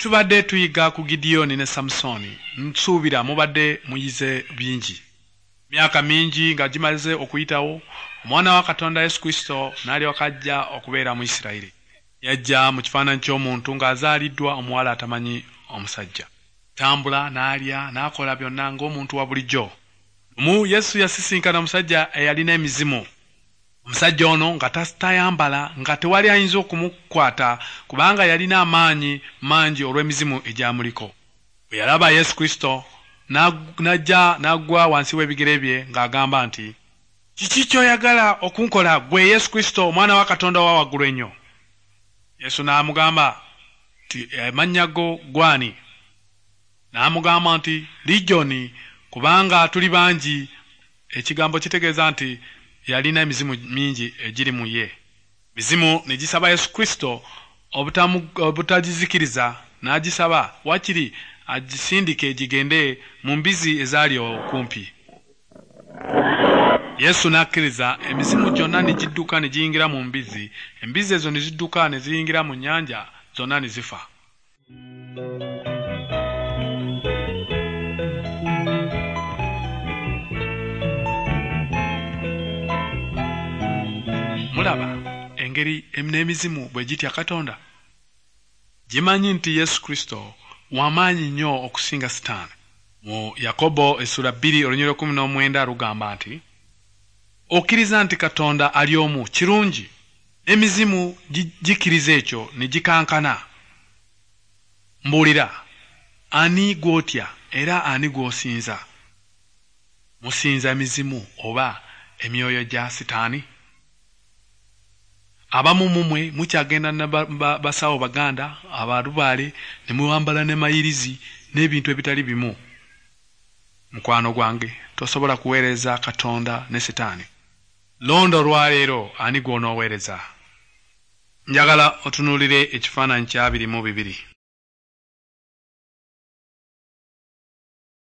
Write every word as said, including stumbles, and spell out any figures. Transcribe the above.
Tubadde tuyiga ku Gidiyoni ne Samusooni. Nsuubira mubadde muyize bingi. Myaka mingi nga gimaze okuyitawo, omwana wa Katonda Yesu Kristo n'alyoka ajja okubeera mu Isirayiri. Yajja mu kifaananyi ky'omuntu ng'azaaliddwa omuwala atamanyi omusajja. Tambula n'alya n'akola byonna ng'omuntu wa bulijjo. Lumu Yesu yasisinkana omusajja eyalina emizimu. Omusajja ono nga tayambala, nga tewali ayinza okumukwata kubanga yalina amaanyi mangi olw'emizimu egyamuliko. Bwe yalaba Yesu Kristo n'ajja n'agwa wansi w'ebigere bye ng'agamba nti, "Kiki ky'oyagala okunkola ggwe Yesu Kristo omwana wa Katonda owa waggulu ennyo?" Yesu n'amugamba nti, "Amannya go gw'ani?" N'amugamba nti, "Ligyoni, kubanga tuli bangi." Ekigambo kitegeeza nti yalina emizimu mingi egiri mu ye. Mizimu ne gisaba Yesu Kristo obutagizikiriza, n'agisaba wakiri agisindike gigende mu mbizi ezaali okumpi. Yesu n'akkiriza, emizimu gyonna ne gidduka ne giyingira mu mbizi, embizi ezo ne zidduka ne ziyingira mu nnyanja, zonna ne zifa. Mulaba engeri n'emizimu bwe gitya Katonda. Gimanyi nti Yesu Kristo w'amaanyi nnyo okusinga Sitaani. Mu Yakobo essula bbiri olunyiriri lw'ekkumi n'omwenda lugamba nti, okkiriza nti Katonda ali omu, kirungi. N'emizimu gikkiriza ekyo ne gikankana. Mbuulira, ani gw'otya era ani gw'osinza? Musinza emizimu oba emyoyo gya Sitaani? Abamu mumwe mukyagenda na basawo baganda abalubaale ne muwambala ne mayirizi n'ebintu ebitali bimu. Mukwano gwange, tosobola kuweereza Katonda ne Sitaani. Londa olwaleero ani gw'onooweereza. Njagala otunuulire ekifaananyi kya abiri mu bibiri.